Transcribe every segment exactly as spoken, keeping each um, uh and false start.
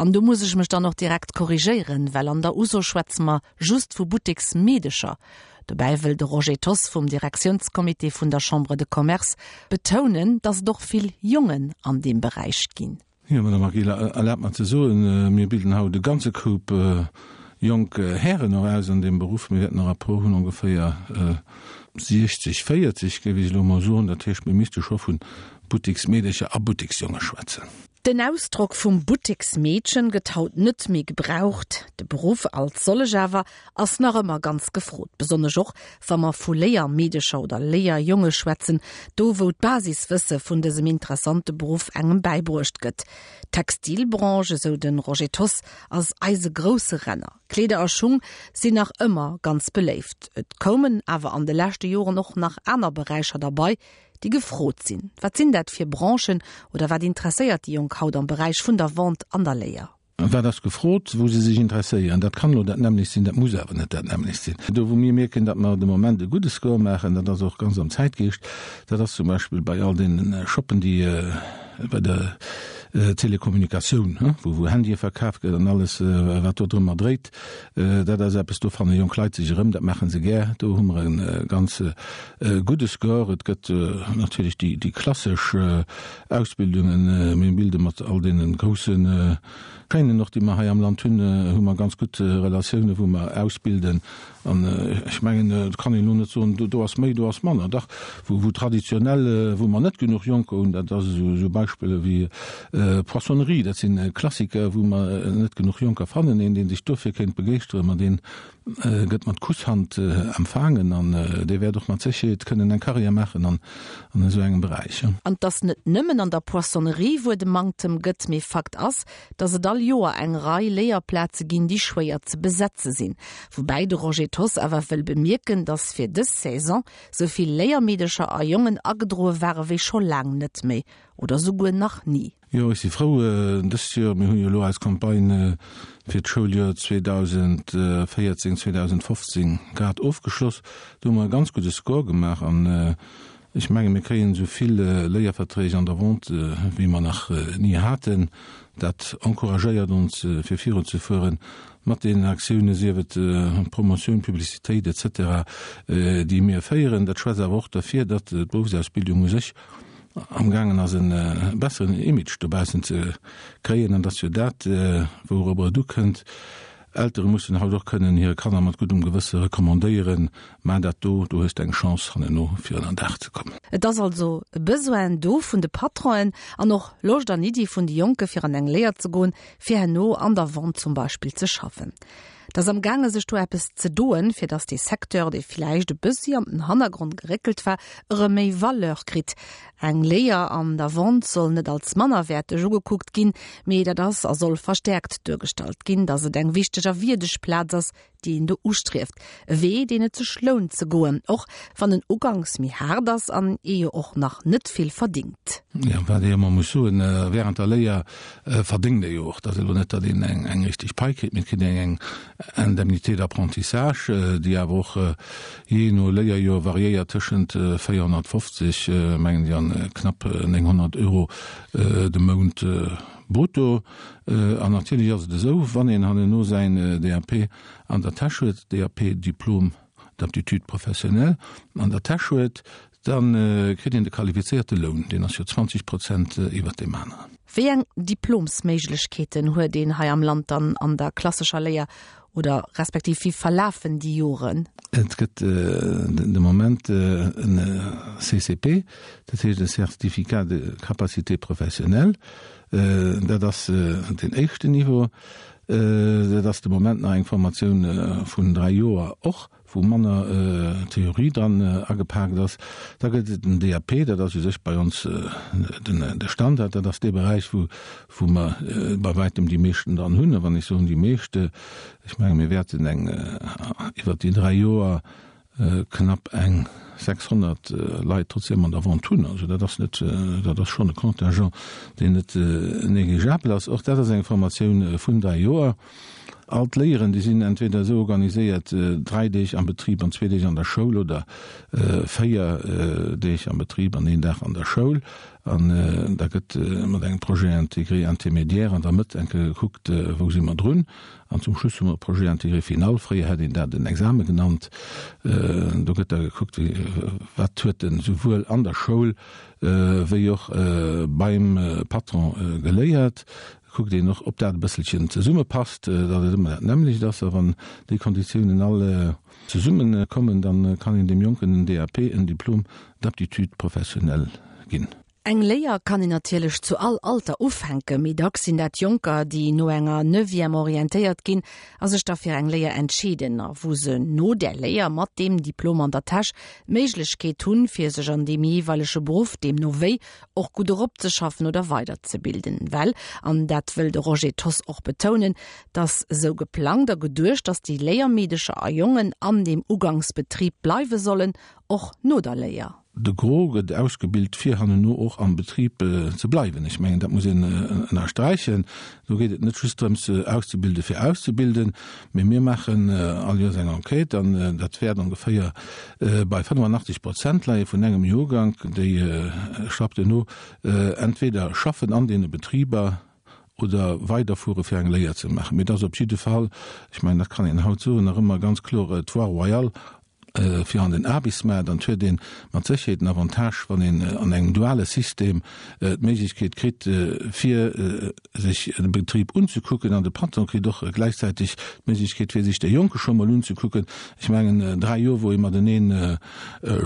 An do muss ech mech dann och direkt korrigéieren, well an der Uso schwätze mer just vu Butteksmeedecher. Dobäi wëll de Roger Thoss vum Direktiounscomité vun der Chambre de Commerce betounen, datt et och vill Jongen an deem Beräich ginn. Jo, Madame Agila, erlaabt mer ze soen, mir bilden haut e ganze Koup jonk Hären och aus an deem Beruff. Mir wäerten e Rapport hunn ongeféier siechzeg, véierzeg, géif ech elo emol soen. Dat heescht, mir misste scho vu Butteksmeedercher a Butteksjonge schwätzen. Den Ausdrock vum Butteksmeedchen gëtt haut net méi gebraucht. De Beruff als sollech awer ass nach ëmmer ganz gefrot, besonnesch och wa mer vu Léiermeedecher oder Léierjonge schwätzen, do wou d'Basiswësse vun dësem interessante Beruff engem bäibruecht gëtt. D'Textilbranche, esou de Roger Thoss, ass eise grousse Renner. Kleeder a Schung sinn nach ëmmer ganz beléift. Et koumen awer an de leschte Joren och nach aner Beräicher derbei, déi gefrot sinn. Wat sinn dat fir Branchen oder wat interesséiert déi Jonk haut am Beräich vun der Vente an der Léier? Wat ass gefrot, wou se sech interesséieren? Dat kann elo dat nämmlecht sinn, dat muss awer net dat nämmlecht sinn. Do wou mir mierken, datt mer de Moment e gudde Score maachen, dat ass och ganz am Zäitgeescht, dat ass zum Beispill bei all deene Shoppen, déi bei der Telekommunikatioun, wou wou Handye verkaf gëtt an alles wat do drëmmer dréit. Dat ass eppes, do fanne jonk Leit sech erëm, dat maache se gär. Do hu mer e ganz gudde Score. Et gëtt natierlech déi déi klassesch Ausbildungen. Mir bilde mat all deene grousse Chaînen och, déi mer hei am Land hunn, hu mer ganz gutt Relatiounen, wou mer ausbilden. An ech mengen, et kann een elo net soen, do ass méi, do ass manner. Dach, wou, wou traditionell, wou mer net genuch Jonker hunn, dat ass esou, esou Beispiller wéi Poissonnerie, dat si Klassiker, wou mer net genuch Jonker fannen. Een, dee sech dofir kéint begeeschteren, ma deen gëtt mat Kusshand empfaangen an dee wäert och mat Sécherheet kënnen eng Karriär maachen an an esou engem Beräich. An 't ass net nëmmen an der Poissonnerie, wou et e Manktem gëtt, mee Fakt ass, dass et all Joer eng Rei Léierplaze ginn, déi schwéier ze besetze sinn. Woubäi de Roger Thoss awer wëll bemierken, dass fir dës Saison sou vill Léiermeedecher a jongen agedroe ware wéi scho laang net méi oder souguer nach ni. Jo, ech si frou, dëst Joer, mir hunn jo elo eis Campagne fir d'Schouljoer zweedausendvéierzéng, zweedausendfofzéng grad ofgeschloss. Do hu mer e ganz gudde Score gemaach an ech menge mir kréien esou vill Léierverträg an der Vente wéi mer nach ni haten. Dat encouragéiert ons fir virunzefueren mat deenen Aktiounen, sief et Promotioun, Publicitéit et cetera, déi mir féieren. Dat schwätzt awer och derfir, datt d'Beruffsausbildung u sech amgaangen ass e besseren Image dobaussen ze kréien, an dass jo dat, wourobber et ukënnt. Eltere mussen haut och kënnen hire Kanner mat guddem Gewësse recommandéieren, Maach dat do, do hues de eng Chance hanneno fir ënner Daach ze kommen. Et ass also e Besoin do vun de Patronen an och Loscht an Iddi vun de Jonke fir an eng Léier ze goen, fir herno an der Vente zum Beispill ze schaffen. Et ass am gaange sech do eppes ze doen, fir datt dee Secteur, dee villäicht e bëssi an den Hannergrond geréckelt war, erëm méi Valeur kritt. Eng Léier an der Vente soll net als mannerwäerteg ugekuckt ginn, mee dat ass a soll verstäerkt duergestallt ginn, datt et eng wichteg a wierdeg Plaz ass, déi een do ustrieft. E Wee, deen et sech lount ze goen, och wann en uganks méi haart ass an ee jo och nach net vill verdingt. Jo, wat ee ëmmer muss soen, Während der Léier verdéngt ee jo och. Et ass elo net, datt een eng richteg Pai kritt, mee et kritt een eng Indemnité d'apprentissage, déi awer och jee no Léierjoer variéiert tëschent véierhonnertfofzeg, mengen ech, an knapp nénghonnert Euro de Mount brutto. An natierlech ass et esou, wann een hanneno säin D A P an der Täsch huet, D A P, Diplôme d'aptitude professionnelle, an der Täsch huet, da kritt een de qualifizéierte Loun, deen ass jo zwanzeg Prozent iwwert deem aneren. Wéi eng Diplomsméiglechkeeten huet een hei am Land dann an der klassescher Léier oder respektiv wéi verlafen déi Joren? Et gëtt de Moment en C C P, dat heescht e Certificat de capacité professionnelle. Dat ass den éischten Niveau. Dat ass de Moment nach eng Formatioun vun dräi Joer och, wou manner Theorie dran agepaakt ass. Da gëtt et den D A P, dat ass u sech bei ons den de Standard, dat ass dee Beräich, wou wou mer bei wäitem déi meeschten dran hunn. A wann ech soen déi meescht, ech menge mir wäerten eng iwwert déi dräi Joer knapp eng sechshonnert Leit trotzdem an der Vente hunn. Also dat ass net, dat ass schonn e Contingent, deen net négligeabel ass. Och dat ass eng Formatioun vun dräi Joer. All d'Léieren, déi sinn entweder esou organiséiert, dräi Deeg am Betrib an zwee Deeg an der Schoul oder véier Deeg am Betrib an een Dag an der Schoul. An da gëtt mat engem Projet intégré intermédiaire an der Mëtt eng Kéier gekuckt, wou si mer drun. An zum Schluss hu mer e Projet intégré final, fréier hätt een dat en Exame genannt. Do gëtt da gekuckt, wat huet en souwuel an der Schoul wéi och beim Patron geléiert. Kuckt een och, ob dat e bësselchen zesummepasst, datt et ëmmer dat nämmlecht ass. A wann déi Konditiounen all zesummekommen, da kann een deem Jonken en D A P, en Diplôme d'aptitude professionnelle ginn. Eng Léier kann een natierlech zu all Alter ufänken, mee dacks sinn dat Jonker, déi no enger Neuvième orientéiert ginn a sech da fir eng Léier entscheeden a wou se no där Léier mat deem Diplom an der Täsch d'Méiglechkeet hunn, fir sech an deem jeeweilege Beruff deemno wéi och gutt eropzeschaffen oder weiderzebilden. Well, an dat wëll de Roger Thoss och betounen, 't ass esou geplangt a geduecht, dass déi Léiermeedecher a jongen an deem Ugangsbetrib bleiwe sollen, och no der Léier. De Gros gëtt ausgebilt, fir hanneno och am Betrib ze bleiwen. Ech mengen, dat muss een ënnersträichen. Do geet et net just drëms, auszebilde fir auszebilden, mee mir maachen all Joers eng Enquête an dat wäert ongeféier bei fënnefenachtzeg Prozent leie vun engem Joergank, déi schafft duerno entweder schaffen an deene Betriber oder weiderfuere fir eng Léier ze maachen. Mee et ass op jidde Fall, ech mengen, dat kann een haut soen, nach ëmmer ganz kloer d'Voie royale fir an den Aarbechtsmaart an et huet ee mat Sécherheet en Avantage, wann een an engem duale System d'Méiglechkeet kritt, fir sech de Betrib unzekucken an de Patron kritt och gläichzäiteg d'Méiglechkeet, fir sech de Jonke scho mol unzekucken. Ech mengen, dräi Joer, wou ee matenee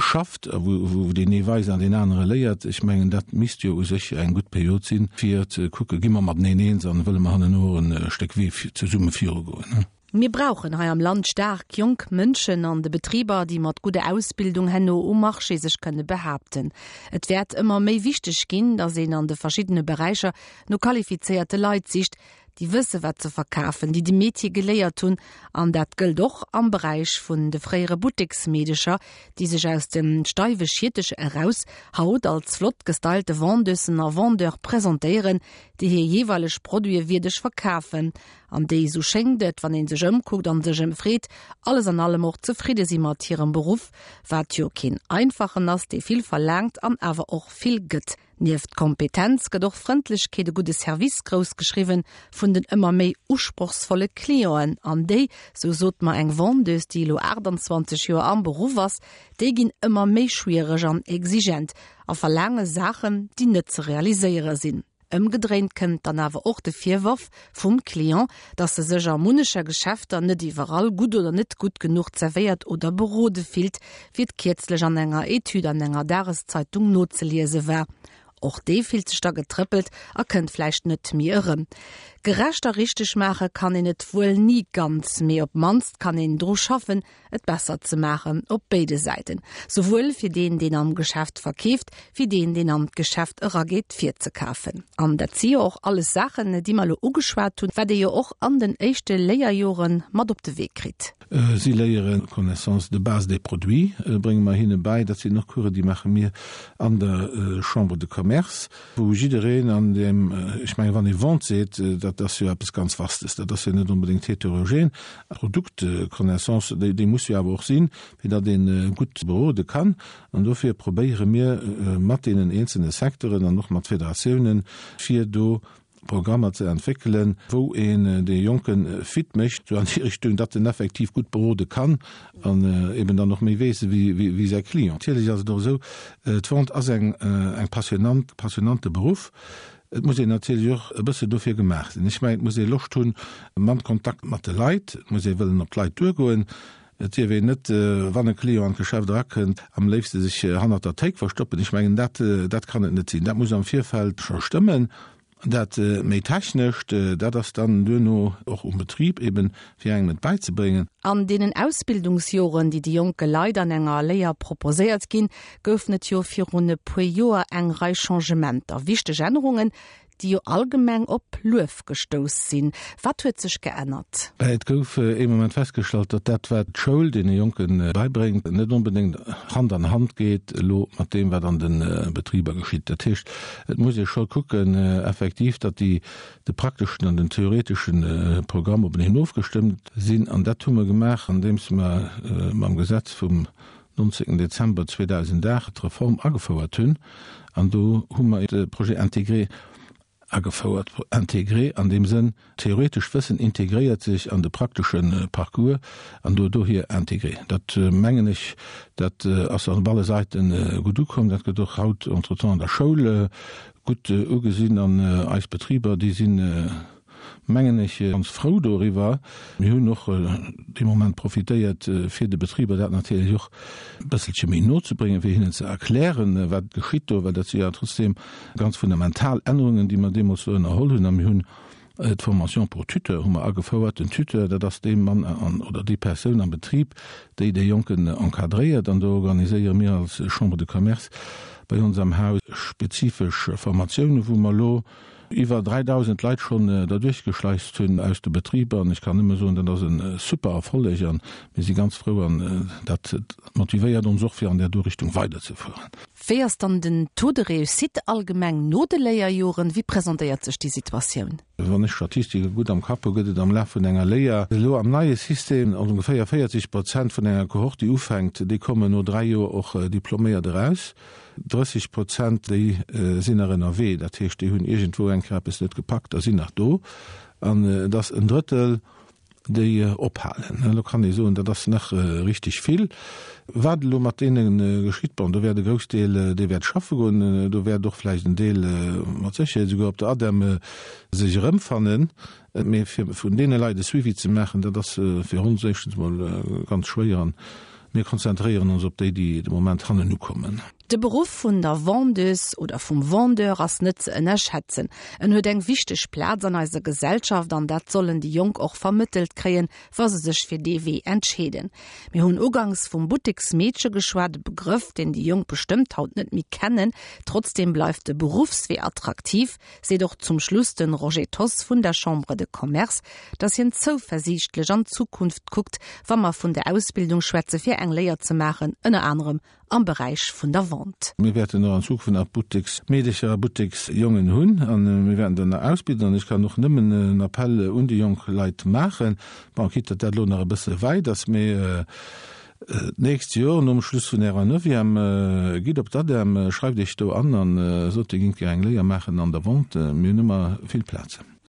schafft a wou deen ee weist an deen anere léiert, ech mengen, dat misst jo u sech eng gutt Period sinn, fir ze kucken, gi mer mateneen eens an wëlle mer hanneno e Stéck Wee zesumme virugoen. Mir brauchen hei am Land staark jonk Mënschen an de Betriber, déi mat gudder Ausbildung herno um Marché sech kënne behaapten. Et wäert ëmmer méi wichteg ginn, datt een an de verschiddene Beräicher no qualifizéierte Leit sicht, déi wësse wat se verkafen, déi de Metier geléiert hunn, an dat gëllt och am Beräich vun de fréiere Butteksmeedecher, déi sech aus dem steiwe Schierteche eraus haut als flott gestylte Vendeusen a Vendeure presentéieren, déi hir jeeweileg Produite wierdeg verkafen an déi, sou schéngt et, wann ee sech ëmkuckt an sech ëmfreet, alles an allem och zefridde si mat hirem Beruff, wat jo keen einfachen ass, dee vill verlaangt an awer och vill gëtt. Nieft Kompetenz gëtt och Frëndlechkeet, e gudde Service grouss geschriwwen vun den ëmmer méi usprochsvolle Clienten. An déi, sou sot mer eng Vendeuse, déi elo aachtanzwanzeg Joer am Beruff ass, déi ginn ëmmer méi schwiereg an exigent a verlaange Saachen, déi net ze realiséiere sinn. Ëmgedréint kënnt dann awer och de Virworf vum Client, dass e sech a munnecher Geschäfter net iwwerall gutt oder net gutt genuch zerwéiert oder berode fillt, wéi et kierzlech an enger Etüd an enger Dageszeitung nozeliese war. Och dee fillt sech da getrëppelt a kënnt vläicht net méi erëm. Gerecht a richteg maache kann een et wuel ni ganz, mee op d'mannst kann een dru schaffen, et besser ze maachen, op béide Säiten, souwuel fir deen, deen am Geschäft verkeeft, wéi deen, deen an d'Geschäft erageet fir ze kafen. An dat si jo och alles Saachen, déi mer elo ugeschwat hunn, wat ee jo och an den éischte Léierjore mat op de Wee kritt. Si léieren Connaissance de base des produits, brénge mer hinne bäi. Dat sinn och Coursen, déi maache mir an der Chambre de Commerce, wou jiddereen an deem, ech mengen, wann ee Vente seet, dat ass jo eppes ganz Vastes, dat ass jo net onbedéngt heterogen. Produktconnaissance, déi, déi muss jo awer och sinn, fir datt ee gutt berode kann. An dofir probéiere mir mat deenen eenzelne Secteuren an och mat Federatiounen, fir do Programmer ze entwéckelen, wou een dee Jonke fit mécht, sou an déi Richtung, datt en effektiv gutt berode kann an eben dann och méi weess wéi säi Client. Natierlech ass et och esou, d'Vente ass eng eng passionant, passionante Beruff. Et muss een natierlech och e bësse dofir gemaach sinn. Ech mengen, et muss ee Loscht hunn mam Kontakt mat de Leit, et muss ee wëllen op d'Leit duergoen. Et dierf een net, wann e Client an d'Geschäft erakënnt, am léifste sech hannert der Théik verstoppen. Ech mengen, dat, dat kann et net sinn. Dat muss am Virfeld scho stëmmen. Dat méi Technescht, dat ass dann duerno och um Betrib eben, fir engem et bäizebréngen. An deenen Ausbildungsjoren, déi de jonke Leit an enger Léier proposéiert ginn, goufen et jo virun e puer Joer eng Rei Changementer, wichteg Ännerungen, déi jo allgemeng op Luef gestouss sinn. Wat huet sech geännert? Et gouf ee Moment festgestallt, datt dat wat d'Schoul deene Jonken beibréngt, net onbedéngt Hand an Hand geet elo mat deem wat an de Betriber geschitt. Dat heescht, et muss ee scho kucken effektiv, datt déi de prakteschen an den theoretesche Programm openeen ofgestëmmt sinn. An dat hu mer gemaach, andeems mer mam Gesetz vum nonzéngten Dezember zweedausendacht d'Reform agefouert hunn. An do hu mer de Projet intégré agefouert. Intégré an deem Sënn, theoretescht Wëssen integréiert sech an de praktesche Parcours an do dohier intégré. Dat mengen ech, dat ass op alle Säite gutt ukomm. Dat gëtt och haut entretemps an der Schoul gutt ugesinn an eis Betriber, déi sinn, mengen ech, ganz frou doriwwer. Mir hunn och dee Moment profitéiert, fir de Betriber dat natierlech och e bësselche méi no ze bréngen, fir hinnen ze erklären, wat geschitt do, well dat si jo trotzdeem ganz fundamental Ännerungen, déi mer deemools do ënnerholl hunn. A mir hunn d'Formation pour tuteur hu mer agefouert. Den Tuteur, dat ass dee Mann an oder déi Persoun am Betrib, déi dee Jonken encadréiert. An do organiséiere mir als Chambre de Commerce bei ons am Haus spezifesch Formatiounen, wou mer elo iwwer dräidausend Leit schonn derduerch geschleist hunn aus de Betriber. An ech kann nëmme soen, dat ass e super Erfolleg a mir si ganz frou an dat motivéiert ons och, fir an där do Richtung weiderzefueren. Wéi ass dann den Taux de réussite allgemeng no de Léierjoren? Wéi presentéiert sech déi Situatioun? Wann ech d'Statistike gutt am Kapp hu, gëtt et am Laf vun enger Léier elo am neie System ongeféier véierzeg Prozent vun enger Kohort, déi ufänkt, déi kommen no dräi Joer och diploméiert eraus. Drësseg Prozent, déi sinn nach ënnerwee, dat heescht, déi hunn iergendwou eng Kéier eppes net gepackt a sinn nach do. An et ass en Drëttel, déi ophalen. Elo kann ee soen, dat ass nach richteg vill. Wat elo mat deene geschitt, bon, do wäert e Groussdeel, dee wäert schaffe goen, do wäert och vläicht en Deel mat Sécherheet esouguer op der ADEM sech erëmfannen. Mee fir vun deene Leit e Suivi ze maachen, dat ass fir ons éischtens emol ganz schwéier. An mir konzentréieren ons op déi, déi de Moment hannen ukommen. De Beruff vun der Vendeuse oder vum Vendeur ass net ze ënnerschätzen. En huet eng wichteg Plaz an eiser Gesellschaft an dat sollen déi Jonk och vermëttelt kréien, wa se sech fir dee Wee entscheeden. Mir hunn ugangs vum Butteksmeedche geschwat, e Begrëff, deen déi Jonk bestëmmt haut net méi kennen. Trotzdeem bleift de Beruffswee attraktiv, seet och zum Schluss de Roger Thoss vun der Chambre de Commerce, dass hien zouversiichtlech an d'Zukunft kuckt, wa mer vun der Ausbildung schwätze fir eng Léier ze maachen, ënner anerem am Beräich vun der Vente. Mir wäerten och an Zukunft nach Butteksmeedecher a Butteksjongen hunn a mir wäerten der nach ausbilden. An ech kann och nëmmen en Appell un déi jonk Leit maachen, bon, quitte datt dat elo nach e bësse wäit ass, mee d'nächst Joer nom Schluss vun Ärer Neuvième, gitt op d'ADEM, schreift Iech do an a sot, Dir géingt gär eng Léier maachen an der Vente. Mir hunn ëmmer vill Plazen.